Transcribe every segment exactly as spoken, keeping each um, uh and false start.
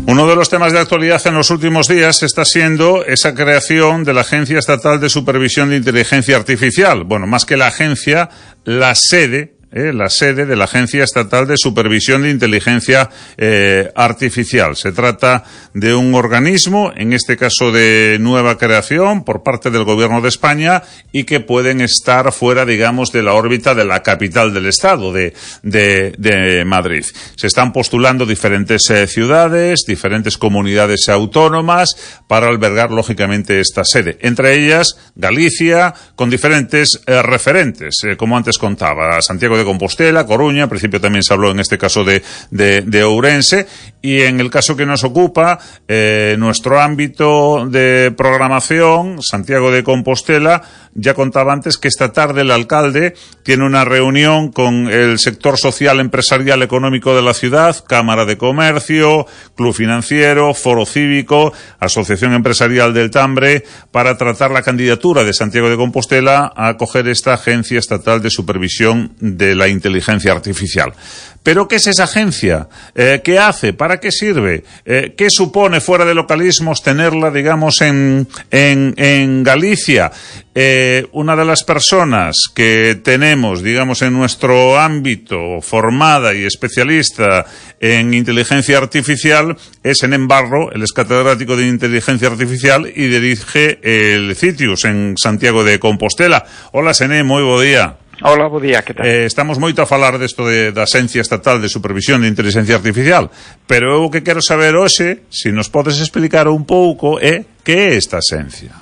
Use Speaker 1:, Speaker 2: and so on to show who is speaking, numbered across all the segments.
Speaker 1: Uno de los temas de actualidad en los últimos días está siendo esa creación de la Agencia Estatal de Supervisión de Inteligencia Artificial. Bueno, más que la agencia, la sede Eh, la sede de la Agencia Estatal de Supervisión de Inteligencia eh, Artificial. Se trata de un organismo, en este caso de nueva creación, por parte del Gobierno de España, y que pueden estar fuera, digamos, de la órbita de la capital del Estado, de, de, de Madrid. Se están postulando diferentes eh, ciudades, diferentes comunidades autónomas, para albergar, lógicamente, esta sede. Entre ellas, Galicia, con diferentes eh, referentes, eh, como antes contaba, Santiago de Compostela, Coruña, al principio también se habló en este caso de, de, de Ourense, y en el caso que nos ocupa, eh, nuestro ámbito de programación, Santiago de Compostela, ya contaba antes que esta tarde el alcalde tiene una reunión con el sector social, empresarial, económico de la ciudad, Cámara de Comercio, Club Financiero, Foro Cívico, Asociación Empresarial del Tambre, para tratar la candidatura de Santiago de Compostela a acoger esta Agencia Estatal de Supervisión de la Inteligencia Artificial. ¿Pero qué es esa agencia? Eh, ¿Qué hace? ¿Para qué sirve? Eh, ¿Qué supone, fuera de localismos, tenerla, digamos, en, en, en Galicia? Eh, una de las personas que tenemos, digamos, en nuestro ámbito, formada y especialista en inteligencia artificial, es Enén Barro. Él es catedrático de inteligencia artificial y dirige el CITIUS en Santiago de Compostela. Hola, Enén, moi bo día.
Speaker 2: Hola, bo día, que tal?
Speaker 1: Eh, estamos moito a falar desto de, da Agencia Estatal de Supervisión de Inteligencia Artificial, pero eu o que quero saber hoxe, se nos podes explicar un pouco, é que é esta agencia?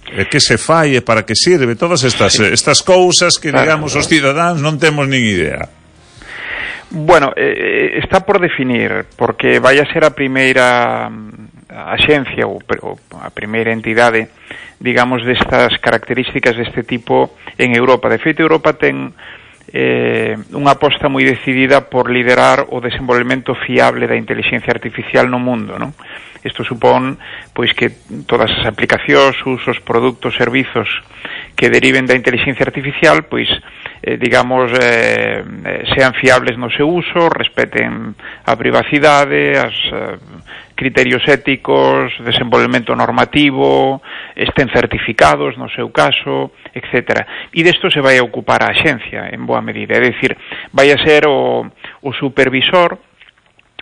Speaker 1: É que se fai, e para que sirve? Todas estas, sí. estas cousas que, claro, digamos, os cidadáns non temos nin idea.
Speaker 2: Bueno, eh, está por definir, porque vai a ser a primeira axencia ou, ou a primeira entidade, digamos, destas características deste tipo en Europa. De feito, Europa ten eh, unha aposta moi decidida por liderar o desenvolvemento fiable da inteligencia artificial no mundo, non? Isto supón, pois, que todas as aplicacións, usos, produtos, servizos que deriven da inteligencia artificial, pois, eh, digamos, eh, sean fiables no seu uso, respeten a privacidade, as eh, criterios éticos, desenvolvemento normativo, estén certificados no seu caso, etcétera. E desto se vai a ocupar a axencia, en boa medida. É dicir, vai a ser o, o supervisor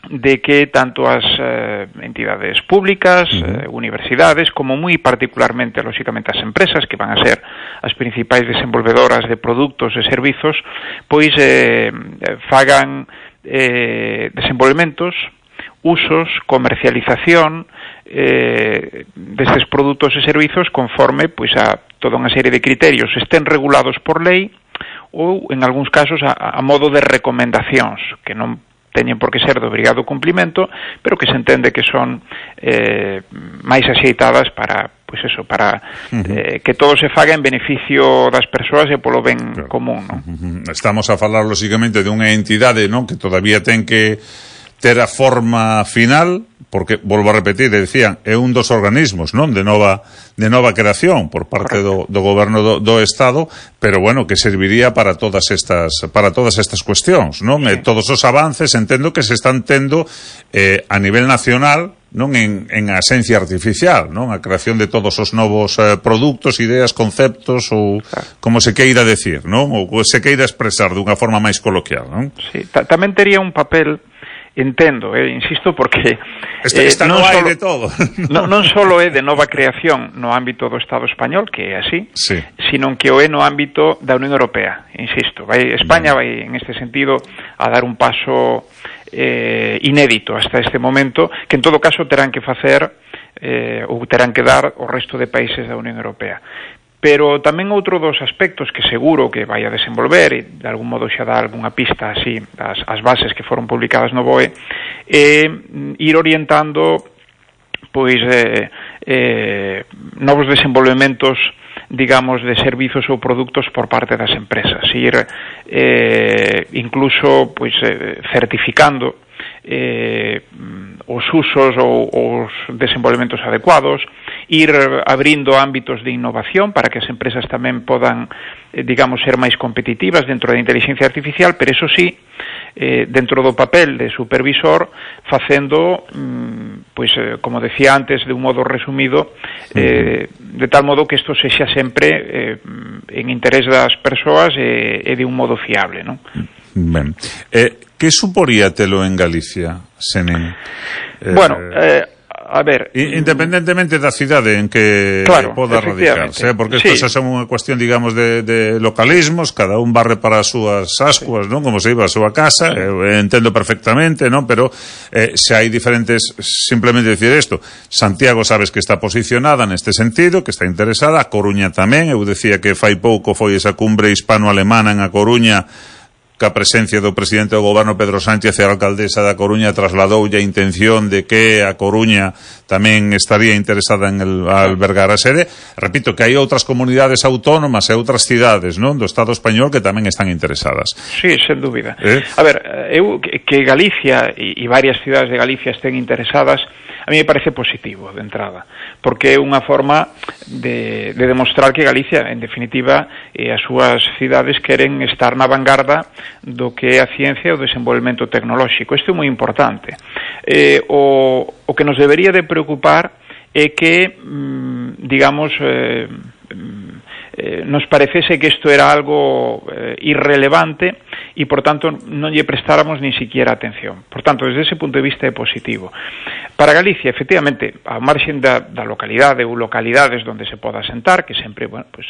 Speaker 2: de que tanto as eh, entidades públicas, eh, universidades, como moi particularmente, lóxicamente, as empresas, que van a ser as principais desenvolvedoras de produtos e servizos, pois eh, fagan eh, desenvolvementos, usos, comercialización eh, destes produtos e servizos conforme, pois, a toda unha serie de criterios estén regulados por lei ou, en algúns casos, a, a modo de recomendacións, que non teñen por que ser de obrigado cumplimento, pero que se entende que son eh, máis axeitadas para, pois eso, para uh-huh. eh, que todo se faga en beneficio das persoas e polo ben claro. común, non?
Speaker 1: Uh-huh. Estamos a falar, lógicamente, de unha entidade, non, que todavía ten que ter a forma final, porque, volvo a repetir, decían, é un dos organismos, non, de nova de nova creación por parte do, do goberno do, do Estado, pero bueno, que serviría para todas estas para todas estas cuestións, non? Sí. Eh, todos os avances, entendo que se están tendo eh, a nivel nacional, non, en, en a esencia artificial, non? A creación de todos os novos eh, produtos, ideas, conceptos, ou claro. como se queira decir, non? Ou se queira expresar dunha forma máis coloquial, non?
Speaker 2: Sí, tamén tería un papel. Entendo, eh, insisto, porque
Speaker 1: Esta, esta eh, non, non hai solo, de todo
Speaker 2: non, non solo é de nova creación no ámbito do Estado español, que é así,
Speaker 1: sí.
Speaker 2: sino que o é no ámbito da Unión Europea, insisto. Vai, España vai, en este sentido, a dar un paso eh, inédito hasta este momento, que en todo caso terán que facer eh, ou terán que dar o resto de países da Unión Europea. Pero tamén outro dos aspectos que seguro que vai a desenvolver, e de algún modo xa dá algunha pista así, as, as bases que foron publicadas no B O E, é ir orientando pois eh, eh, novos desenvolvementos, digamos, de servizos ou produtos por parte das empresas, ir eh, incluso pois eh, certificando eh, os usos ou os desenvolvementos adecuados, ir abrindo ámbitos de innovación para que as empresas tamén podan, eh, digamos, ser máis competitivas dentro da inteligencia artificial, pero eso sí, eh, dentro do papel de supervisor, facendo, mm, pois, eh, como decía antes, de un modo resumido, eh, de tal modo que isto sexa sempre eh, en interés das persoas e, e de un modo fiable, non?
Speaker 1: Ben. Eh, que suporía telo en Galicia, Senén?
Speaker 2: Eh, bueno, eh, a ver,
Speaker 1: independentemente da cidade en que
Speaker 2: claro,
Speaker 1: poda radicarse, eh? Porque isto sí. xa son unha cuestión, digamos, de, de localismos, cada un barre para as súas ascuas, sí. non? Como se iba a súa casa, sí. eh, entendo perfectamente, non? Pero eh, se hai diferentes, simplemente decir isto, Santiago sabes que está posicionada neste sentido, que está interesada, a Coruña tamén, eu decía que fai pouco foi esa cumbre hispano-alemana en A Coruña, que a presencia do presidente do goberno Pedro Sánchez e a alcaldesa da Coruña trasladoulle a intención de que a Coruña tamén estaría interesada en el, albergar a sede. Repito que hai outras comunidades autónomas e outras cidades, non, do Estado español que tamén están interesadas.
Speaker 2: Sí, sen dúbida. Eh? A ver, eu que Galicia e, e varias cidades de Galicia estén interesadas, a mí me parece positivo de entrada, porque é unha forma de, de demostrar que Galicia, en definitiva, e as súas cidades queren estar na vanguarda do que é a ciencia e o desenvolvemento tecnolóxico. Isto é moi importante. Eh, o, o que nos debería de preocupar é que, mm, digamos, eh, eh, nos parecese que isto era algo eh, irrelevante e, por tanto, non lle prestáramos ni siquiera atención. Por tanto, desde ese punto de vista é positivo. Para Galicia, efectivamente, a marxen da, da localidade ou localidades onde se poda sentar, que sempre, bueno, pues,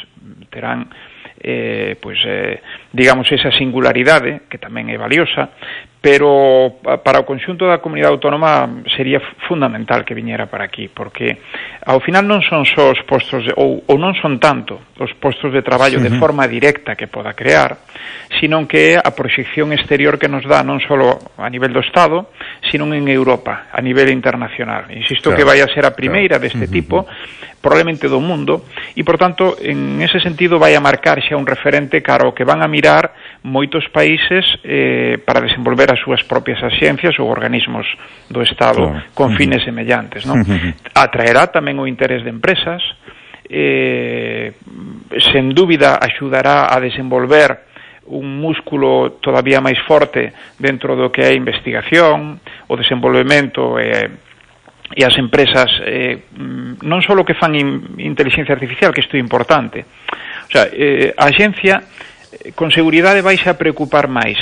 Speaker 2: terán eh, pues, eh, digamos, esa singularidade, que tamén é valiosa, pero para o conxunto da comunidade autónoma sería fundamental que viñera para aquí, porque ao final non son só os postos de, ou, ou non son tanto os postos de traballo uh-huh. de forma directa que poda crear, sino que é a proxección exterior que nos dá non só a nivel do Estado, sino en Europa, a nivel internacional. Insisto claro, que vai a ser a primeira claro. deste uh-huh. tipo, probablemente do mundo, e, por tanto, en ese sentido vai a marcar xa un referente cara ao que van a mirar moitos países eh, para desenvolver as súas propias axencias ou organismos do Estado claro. con fines uh-huh. semellantes, non? Uh-huh. Atraerá tamén o interés de empresas, eh, sen dúbida axudará a desenvolver un músculo todavía máis forte dentro do que é a investigación, o desenvolvemento e, e as empresas eh, non só o que fan in, inteligencia artificial, que isto é importante. O sea, eh, a axencia con seguridade vais a preocupar máis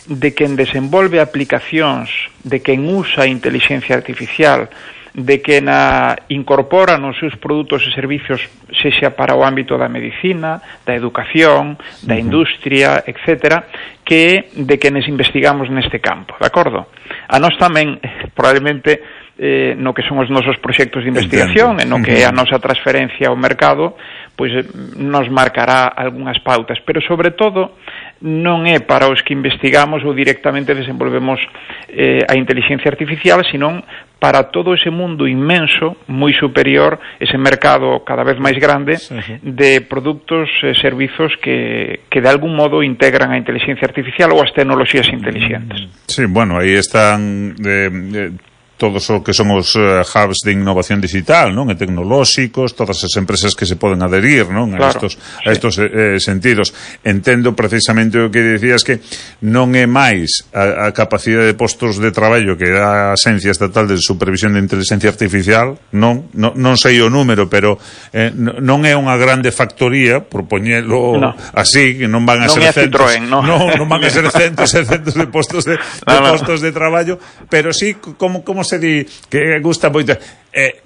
Speaker 2: de quen desenvolve aplicacións, de quen usa a inteligencia artificial, de quen a incorpora nos seus produtos e servicios, sexa para o ámbito da medicina, da educación, da industria, etcétera, que de quenes investigamos neste campo, de acordo? A nós tamén, probablemente, eh, no que son os nosos proxectos de investigación, e no que é a nosa transferencia ao mercado, pois nos marcará algunhas pautas, pero sobre todo non é para os que investigamos ou directamente desenvolvemos eh, a inteligencia artificial, senón para todo ese mundo inmenso, moi superior, ese mercado cada vez máis grande de produtos e servizos que, que de algún modo integran a inteligencia artificial ou as tecnoloxías inteligentes.
Speaker 1: Sí, bueno, aí están de, de, todos o que son os uh, hubs de innovación digital, non? E tecnolóxicos, todas as empresas que se poden adherir, non? A
Speaker 2: claro,
Speaker 1: estos, a estos sí. eh, sentidos. Entendo precisamente o que dicías, que non é máis a, a capacidade de postos de traballo que dá a Axencia Estatal de Supervisión de Inteligencia Artificial, non, non, non sei o número, pero eh, non é unha grande factoría, por poñelo no. así, que non van a
Speaker 2: non
Speaker 1: ser
Speaker 2: centos,
Speaker 1: Citroën,
Speaker 2: no.
Speaker 1: non, non van a ser centos e centos de postos de, de no, postos no. de traballo, pero sí, como, como se di, que gusta moito, eh,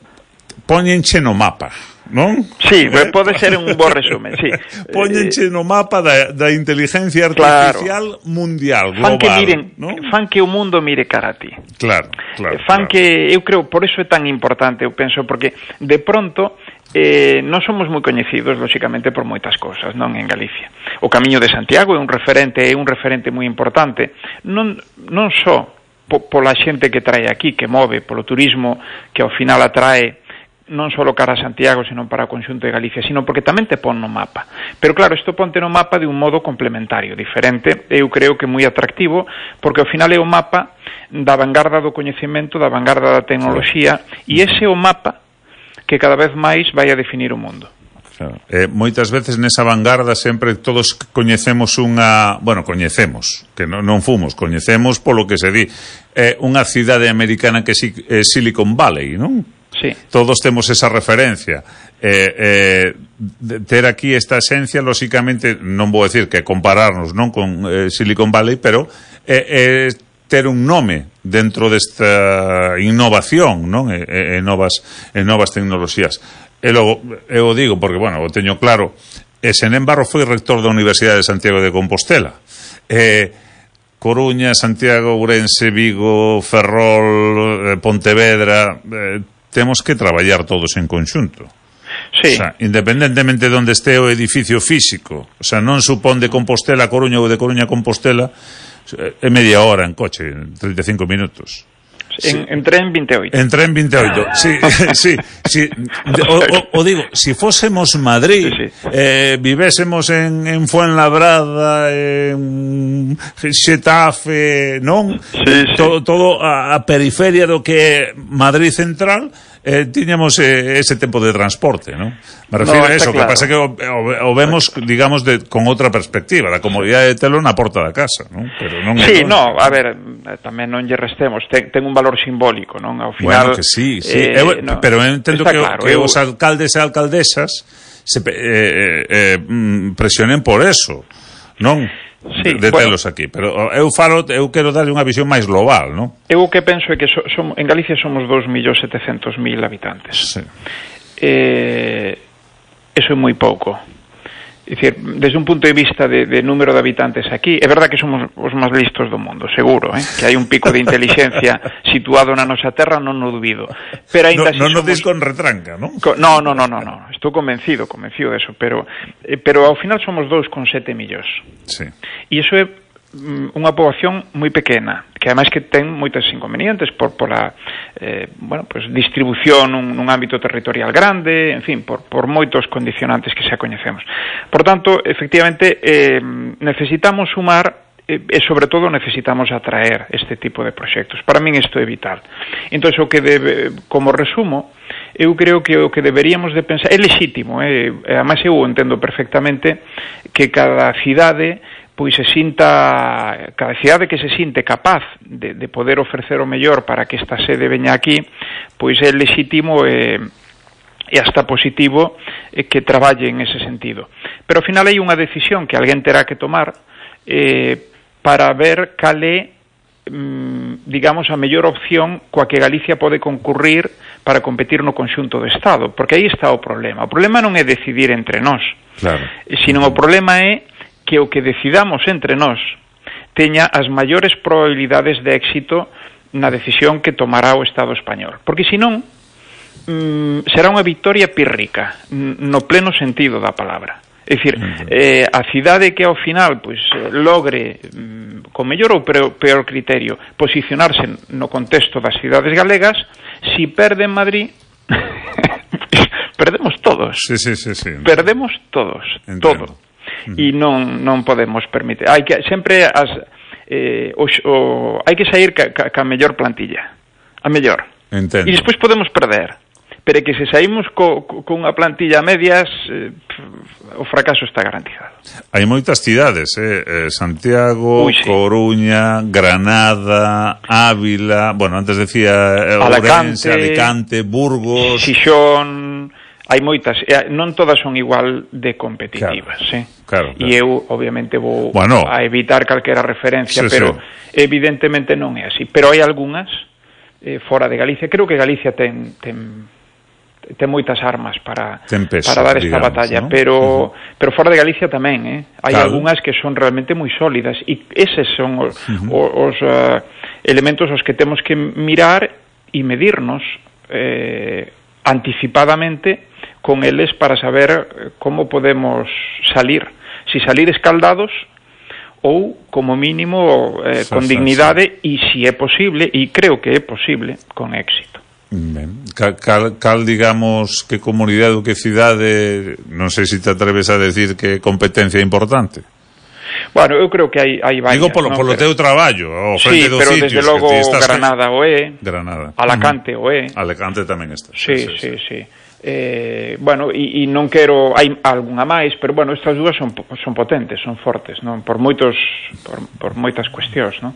Speaker 1: poñenche no mapa, non?
Speaker 2: Sí, eh? pode ser un bo resumen, sí.
Speaker 1: Poñenche no mapa da, da inteligencia artificial claro. mundial, global.
Speaker 2: Fan que, miren, ¿no? fan que o mundo mire cara a ti.
Speaker 1: Claro, claro.
Speaker 2: Fan
Speaker 1: claro.
Speaker 2: que, eu creo, por eso é tan importante, eu penso, porque de pronto eh, non somos moi coñecidos, lóxicamente, por moitas cousas, non, en Galicia. O Camiño de Santiago é un referente, é un referente moi importante, non, non só pola xente que trae aquí, que move, polo turismo, que ao final atrae non só cara a Santiago, senón para o conxunto de Galicia, sino porque tamén te pon no mapa. Pero claro, isto ponte no mapa de un modo complementario, diferente, eu creo que moi atractivo, porque ao final é o mapa da vanguarda do coñecemento, da vanguarda da tecnoloxía, e ese é o mapa que cada vez máis vai a definir o mundo.
Speaker 1: Claro. Eh, moitas veces nesa vanguarda sempre todos coñecemos unha, bueno, coñecemos, que non, non fomos, coñecemos polo que se di, eh, unha cidade americana que é eh, Silicon Valley, non?
Speaker 2: Sí.
Speaker 1: Todos temos esa referencia. Eh, eh, ter aquí esta esencia, lóxicamente, non vou decir que compararnos non con eh, Silicon Valley, pero eh, eh, ter un nome dentro desta innovación, non? E, e, e novas, e novas tecnoloxías. E logo, eu digo, porque, bueno, o teño claro, e sen embargo foi rector da Universidade de Santiago de Compostela. Eh, Coruña, Santiago, Ourense, Vigo, Ferrol, eh, Pontevedra, eh, temos que traballar todos en conxunto.
Speaker 2: Sí.
Speaker 1: O sea, independentemente de onde este o edificio físico, o sea, non supón de Compostela a Coruña ou de Coruña a Compostela, é media hora en coche, treinta e cinco minutos.
Speaker 2: En, sí. en tren vinte e oito.
Speaker 1: En tren vinte e oito, sí, sí, sí. O, o, o digo, si fósemos Madrid, sí, sí. Eh, vivésemos en, en Fuenlabrada, en Xetafe, non?
Speaker 2: Sí, sí.
Speaker 1: Todo, todo a, a periferia do que é Madrid Central, eh, tiñamos eh, ese tempo de transporte, non? Me refiero
Speaker 2: no,
Speaker 1: a eso,
Speaker 2: claro.
Speaker 1: Que pasa que o, o, o vemos, digamos, de, con outra perspectiva, da comodidade de telo na porta da casa, non? Pero non
Speaker 2: sí, no, a ver, tamén non lle restemos, ten, ten un valor simbólico, non? Ao final,
Speaker 1: bueno, que sí, sí,
Speaker 2: eh,
Speaker 1: eu,
Speaker 2: no,
Speaker 1: pero eu entendo que,
Speaker 2: claro,
Speaker 1: que
Speaker 2: eu...
Speaker 1: os alcaldes e alcaldesas se eh, eh, presionen por eso, non?
Speaker 2: Sí,
Speaker 1: de, de
Speaker 2: bueno,
Speaker 1: telos aquí, pero eu falo, eu quero darlle unha visión máis global, non?
Speaker 2: Eu o que penso é que so, som, en Galicia somos dous millóns setecentos mil habitantes.
Speaker 1: Sí.
Speaker 2: Eh, eso é moi pouco. É dicir, desde un punto de vista de, de número de habitantes aquí, é verdad que somos os máis listos do mundo, seguro, eh? Que hai un pico de inteligencia situado na nosa terra, non o dubido. Pero ainda
Speaker 1: no, non
Speaker 2: somos...
Speaker 1: nos dis con retranca, non?
Speaker 2: Co... No, no, no, no, no, estou convencido, convencido de eso, pero eh, pero ao final somos dous con sete millóns.
Speaker 1: Sí.
Speaker 2: E iso é unha poboación moi pequena, que ademais que ten moitos inconvenientes por pola eh, bueno, pues distribución nun, nun ámbito territorial grande, en fin, por, por moitos condicionantes que xa coñecemos. Por tanto, efectivamente, eh, necesitamos sumar e, e sobre todo necesitamos atraer este tipo de proxectos. Para min isto é vital. Entón, o que debe, como resumo, eu creo que o que deberíamos de pensar é lexítimo, eh, ademais eu entendo perfectamente que cada cidade pois se sinta, cada cidade que se sinte capaz de, de poder ofrecer o mellor para que esta sede veña aquí, pois é lexítimo e, e hasta positivo eh, que traballe en ese sentido. Pero ao final hai unha decisión que alguén terá que tomar eh, para ver cal é, mm, digamos, a mellor opción coa que Galicia pode concurrir para competir no conxunto do Estado, porque aí está o problema. O problema non é decidir entre nós,
Speaker 1: claro.
Speaker 2: Sino o problema é que o que decidamos entre nós teña as maiores probabilidades de éxito na decisión que tomará o Estado español. Porque senón mm, será unha victoria pírrica, no pleno sentido da palabra. É dicir, eh, a cidade que ao final pois, logre, mm, con mellor ou peor, peor criterio, posicionarse no contexto das cidades galegas, si perde en Madrid... perdemos todos.
Speaker 1: Sí, sí, sí, sí.
Speaker 2: Perdemos todos, Entiendo. todo. E non non podemos permitir. Hai que sempre as eh, o, o, hai que sair ca, ca, ca mellor plantilla. A mellor.
Speaker 1: Entendo.
Speaker 2: E despois podemos perder. Pero que se saímos co, co, con unha plantilla a medias, eh, o fracaso está garantizado.
Speaker 1: Hai moitas cidades, eh? eh Santiago,
Speaker 2: Uy, sí.
Speaker 1: Coruña, Granada, Ávila, bueno, antes decía eh, Ourense, Alicante, Burgos...
Speaker 2: Xixón... Hai moitas, non todas son igual de competitivas,
Speaker 1: claro,
Speaker 2: eh?
Speaker 1: Claro, claro.
Speaker 2: E eu, obviamente, vou
Speaker 1: bueno,
Speaker 2: a evitar calquera referencia,
Speaker 1: sí,
Speaker 2: pero
Speaker 1: sí.
Speaker 2: evidentemente non é así. Pero hai algunhas eh, fora de Galicia. Creo que Galicia ten, ten, ten moitas armas para,
Speaker 1: peso,
Speaker 2: para dar esta
Speaker 1: digamos,
Speaker 2: batalla,
Speaker 1: ¿no?
Speaker 2: pero,
Speaker 1: uh-huh.
Speaker 2: pero fora de Galicia tamén, eh? Hai
Speaker 1: claro.
Speaker 2: algunhas que son realmente moi sólidas, e eses son os, uh-huh. os uh, elementos aos que temos que mirar e medirnos eh, anticipadamente con eles para saber como podemos salir, si salir escaldados ou, como mínimo, eh, con dignidade e, si é posible, e creo que é posible, con éxito.
Speaker 1: Ben, cal, cal, cal, digamos, que comunidade ou que cidade, non sei se te atreves a decir que competencia importante?
Speaker 2: Bueno, eu creo que hai, hai varias.
Speaker 1: Digo polo,
Speaker 2: ¿no?
Speaker 1: polo
Speaker 2: pero,
Speaker 1: teu traballo, ao frente
Speaker 2: sí,
Speaker 1: dos
Speaker 2: pero
Speaker 1: sitios.
Speaker 2: desde logo
Speaker 1: que estás...
Speaker 2: Granada o é,
Speaker 1: Granada.
Speaker 2: Alacante uh-huh. o é.
Speaker 1: Alacante tamén está.
Speaker 2: Sí, sí, sí. sí. Eh, bueno, e, e non quero, hai algunha máis, pero bueno, estas dúas son, son potentes, son fortes, non? Por moitos, por, por moitas cuestións, non?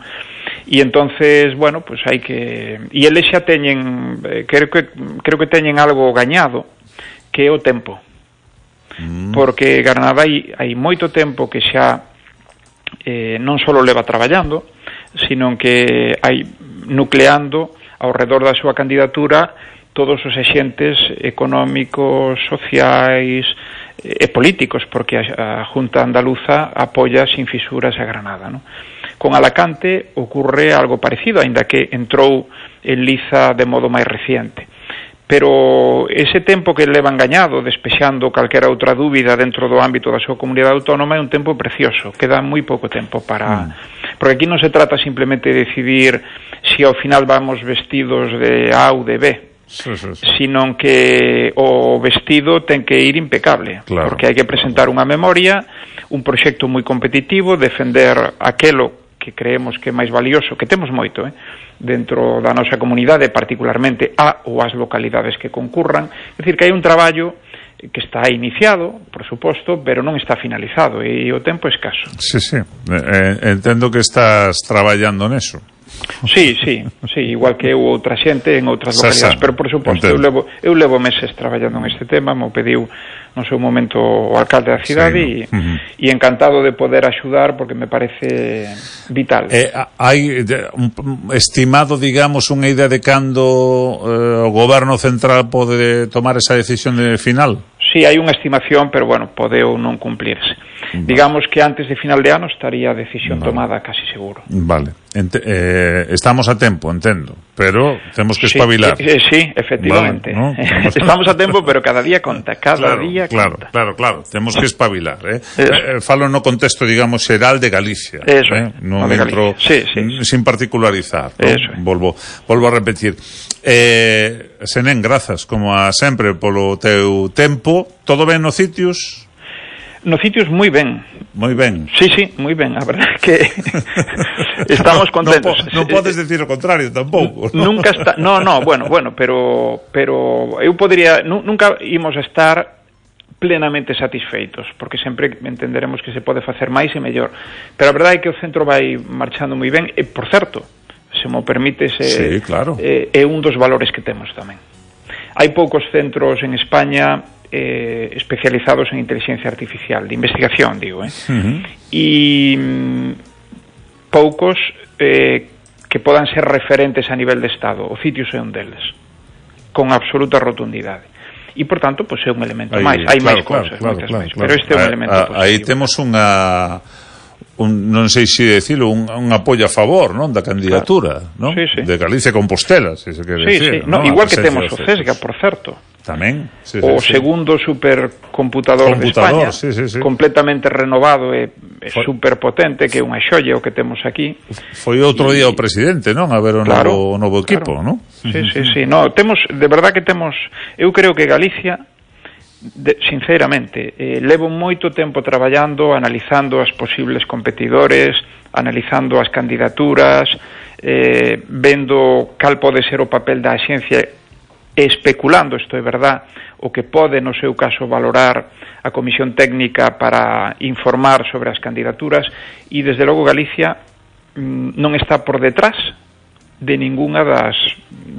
Speaker 2: E entonces, bueno, pues hai que, e eles xa teñen, eh, creo que creo que teñen algo gañado, que é o tempo. Mm. Porque Granada hai, hai moito tempo que xa eh, non só leva traballando, sino que hai nucleando ao redor da súa candidatura todos os axentes económicos, sociais e políticos, porque a, a Junta Andaluza apoia sin fisuras a Granada, ¿no? Con Alacante ocurre algo parecido, aínda que entrou en liza de modo máis reciente. Pero ese tempo que levan gañado, despexando calquera outra dúbida dentro do ámbito da súa comunidade autónoma, é un tempo precioso, queda moi pouco tempo para... Mm. Porque aquí non se trata simplemente de decidir se ao final vamos vestidos de A ou de B, sí, sí, sí. Sino que o vestido ten que ir impecable, claro, porque hai que presentar unha memoria, un proxecto moi competitivo, defender aquelo que creemos que é máis valioso, que temos moito, eh, dentro da nosa comunidade, particularmente a ou as localidades que concurran. É dicir, que hai un traballo que está iniciado, por suposto, pero non está finalizado e o tempo é escaso.
Speaker 1: Sí, sí, eh, entendo que estás traballando neso.
Speaker 2: Sí, sí, sí, igual que eu outra xente en outras localidades, pero por suposto, eu levo, eu levo meses traballando en este tema, mo pediu no seu momento o alcalde da cidade e sí, no. uh-huh. e encantado de poder axudar porque me parece vital.
Speaker 1: Eh, hai un estimado, digamos, unha idea de cando eh, o goberno central pode tomar esa decisión de final?
Speaker 2: Sí, hai unha estimación, pero bueno, pode ou non cumplirse. Vale. Digamos que antes de final de ano estaría a decisión vale. tomada casi seguro. Vale.
Speaker 1: Ent eh, estamos a tempo, entendo, pero temos que espabilar.
Speaker 2: Sí, eh, sí efectivamente. Vale, ¿no? Estamos a tempo, pero cada día conta, cada
Speaker 1: claro,
Speaker 2: día
Speaker 1: claro,
Speaker 2: conta.
Speaker 1: Claro, claro, temos que espabilar, eh? eh falo no contexto, digamos, xeral de Galicia.
Speaker 2: Eso,
Speaker 1: eh? Non
Speaker 2: de
Speaker 1: entro
Speaker 2: sí, sí, sí.
Speaker 1: sin particularizar, ¿no?
Speaker 2: Eso.
Speaker 1: Volvo, volvo a repetir. Eh, Senén, grazas, como a sempre, polo teu tempo. Todo ben nos sitios?
Speaker 2: Nos sitios moi ben.
Speaker 1: Moi ben.
Speaker 2: Sí, sí, moi ben, a verdade que estamos contentos.
Speaker 1: Non, non podes decir o contrario tampouco, ¿no?
Speaker 2: Nunca está, no, no, bueno, bueno, pero pero eu podría, nunca imos a estar plenamente satisfeitos, porque sempre entenderemos que se pode facer máis e mellor. Pero a verdade é que o centro vai marchando moi ben, e por certo, se mo permite, se,
Speaker 1: sí, claro.
Speaker 2: é, é un dos valores que temos tamén. Hai poucos centros en España eh, especializados en inteligencia artificial, de investigación, digo, eh? Uh-huh. E mm, poucos eh, que podan ser referentes a nivel de Estado. O Citius é un deles, con absoluta rotundidade. E, por tanto, pues, é un elemento máis. Hai máis cousas,
Speaker 1: claro,
Speaker 2: moitas
Speaker 1: claro,
Speaker 2: máis,
Speaker 1: claro.
Speaker 2: Pero este é un
Speaker 1: a,
Speaker 2: elemento
Speaker 1: a,
Speaker 2: positivo.
Speaker 1: Aí temos unha... Un, non sei se decirlo, un, un apoio a favor, non, da candidatura,
Speaker 2: claro.
Speaker 1: non?
Speaker 2: Sí, sí.
Speaker 1: De Galicia Compostela, se se quere
Speaker 2: sí,
Speaker 1: decir,
Speaker 2: sí. No,
Speaker 1: ¿no?
Speaker 2: Igual que temos o CESGA, por certo.
Speaker 1: Tamén, sí,
Speaker 2: o
Speaker 1: sí,
Speaker 2: segundo supercomputador,
Speaker 1: computador
Speaker 2: de España,
Speaker 1: sí, sí, sí.
Speaker 2: completamente renovado e, e superpotente, que é unha xoia o que temos aquí.
Speaker 1: Foi outro día o presidente, non? A ver o
Speaker 2: claro,
Speaker 1: novo, o novo equipo,
Speaker 2: claro.
Speaker 1: non?
Speaker 2: Sí, sí, sí. No, temos, de verdad que temos, eu creo que Galicia, de, sinceramente, eh, levo moito tempo traballando, analizando as posibles competidores, analizando as candidaturas, eh, vendo cal pode ser o papel da axencia, especulando, isto é verdad, o que pode, no seu caso, valorar a Comisión Técnica para informar sobre as candidaturas, e, desde logo, Galicia mm, non está por detrás de ningunha das,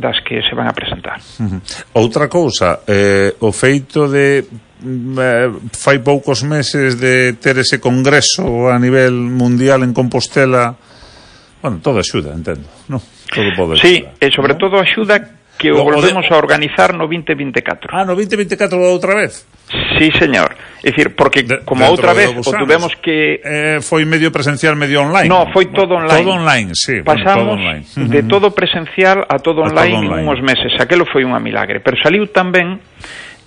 Speaker 2: das que se van a presentar.
Speaker 1: Uh-huh. Outra cousa, eh, o feito de eh, fai poucos meses de ter ese congreso a nivel mundial en Compostela, bueno, todo axuda, entendo, non? Todo pode axudar.
Speaker 2: Sí, e sobre ¿no? todo axuda que o volvemos a organizar no vinte vinte e catro.
Speaker 1: Ah, no vinte vinte e catro outra vez?
Speaker 2: Sí, señor. É dicir, porque de, como outra vez o tuvemos que...
Speaker 1: Eh, foi medio presencial, medio online?
Speaker 2: No, foi todo online.
Speaker 1: Todo online, sí.
Speaker 2: Pasamos
Speaker 1: bueno, todo online.
Speaker 2: de todo presencial a todo online, a todo online en uns meses. Aquelo foi unha milagre. Pero saliu tamén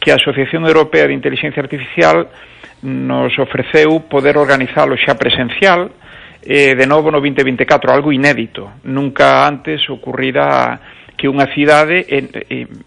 Speaker 2: que a Asociación Europea de Inteligencia Artificial nos ofreceu poder organizalo xa presencial eh, de novo no vinte vinte e catro, algo inédito. Nunca antes ocurrira que unha cidade,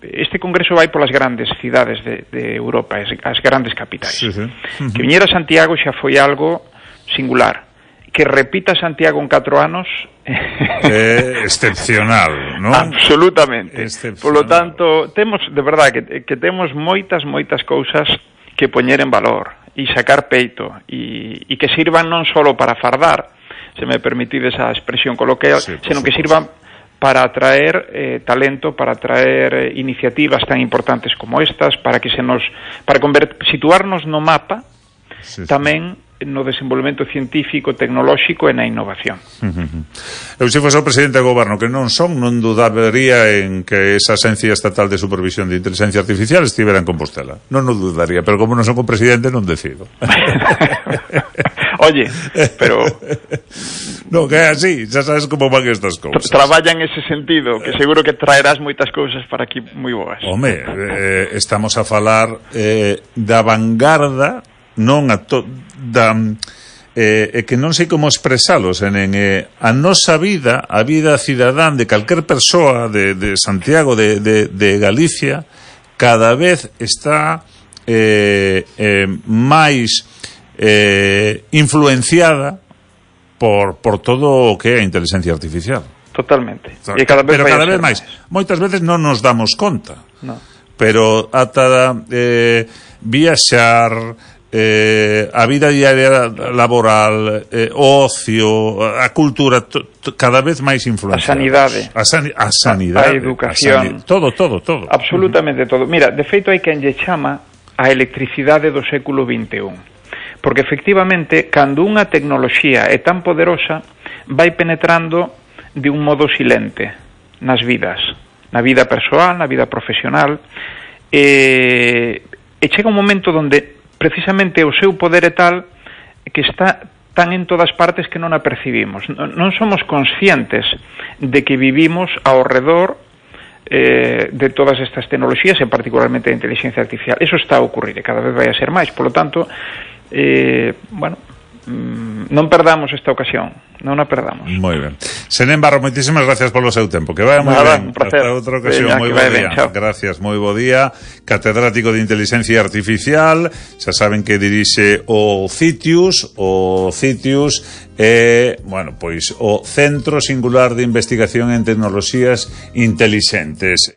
Speaker 2: este congreso vai polas grandes cidades de, de Europa, as grandes capitais. Sí, sí. Uh-huh. Que viñera a Santiago xa foi algo singular. que repita Santiago en catro anos
Speaker 1: é excepcional, non?
Speaker 2: Absolutamente. Por lo tanto, temos, de verdade, que, que temos moitas, moitas cousas que poñer en valor e sacar peito e, e que sirvan non só para fardar, se me permitides a expresión coloquial, sí, senón que sirvan para atraer eh, talento, para atraer eh, iniciativas tan importantes como estas, para que se nos, para convert, situarnos no mapa, sí, tamén no desenvolvemento científico, tecnolóxico e na innovación.
Speaker 1: Eu, se fose o presidente do goberno, que non son, non dudaría en que esa Axencia Estatal de Supervisión de Inteligencia Artificial estivera en Compostela. Non o dudaría, pero como non son o presidente, non decido.
Speaker 2: Oye, pero...
Speaker 1: No, que é así, xa sabes como van estas cousas.
Speaker 2: Traballa en ese sentido, que seguro que traerás moitas cousas para aquí moi boas.
Speaker 1: Home, eh, estamos a falar eh, da vanguarda, non a to... da... Eh, que non sei como expresalos en, en eh, a nosa vida, a vida cidadán de calquer persoa de, de Santiago, de, de, de Galicia, cada vez está eh, eh, máis eh, influenciada por, por todo o que é a inteligencia artificial.
Speaker 2: Totalmente.
Speaker 1: E cada vez pero cada vez máis. Moitas veces non nos damos conta.
Speaker 2: No.
Speaker 1: Pero ata eh, viaxar, eh, a vida diaria laboral, eh, o ocio, a cultura, to, to, cada vez máis influenciada.
Speaker 2: A sanidade.
Speaker 1: A, sani a sanidade.
Speaker 2: A educación.
Speaker 1: A sanidade. Todo, todo, todo.
Speaker 2: Absolutamente todo. Mira, de feito hai quen lle chama a electricidade do século vinte e un. Porque efectivamente, cando unha tecnoloxía é tan poderosa, vai penetrando de un modo silente nas vidas, na vida persoal, na vida profesional, e, e chega un momento onde precisamente o seu poder é tal que está tan en todas partes que non a percibimos. Non somos conscientes de que vivimos ao redor eh, de todas estas tecnoloxías, e particularmente a inteligencia artificial. Eso está a ocurrir e cada vez vai a ser máis. Por lo tanto, eh, bueno, non perdamos esta ocasión, non a perdamos.
Speaker 1: Moi ben. Senén Barro, moitísimas gracias polo seu tempo. Que vai moi ben. Hasta outra ocasión. Moi bo día. Gracias, moi bo día. Catedrático de Inteligencia Artificial. Xa saben que dirixe o CITIUS, o CITIUS é, bueno, pois o Centro Singular de Investigación en Tecnoloxías Intelixentes.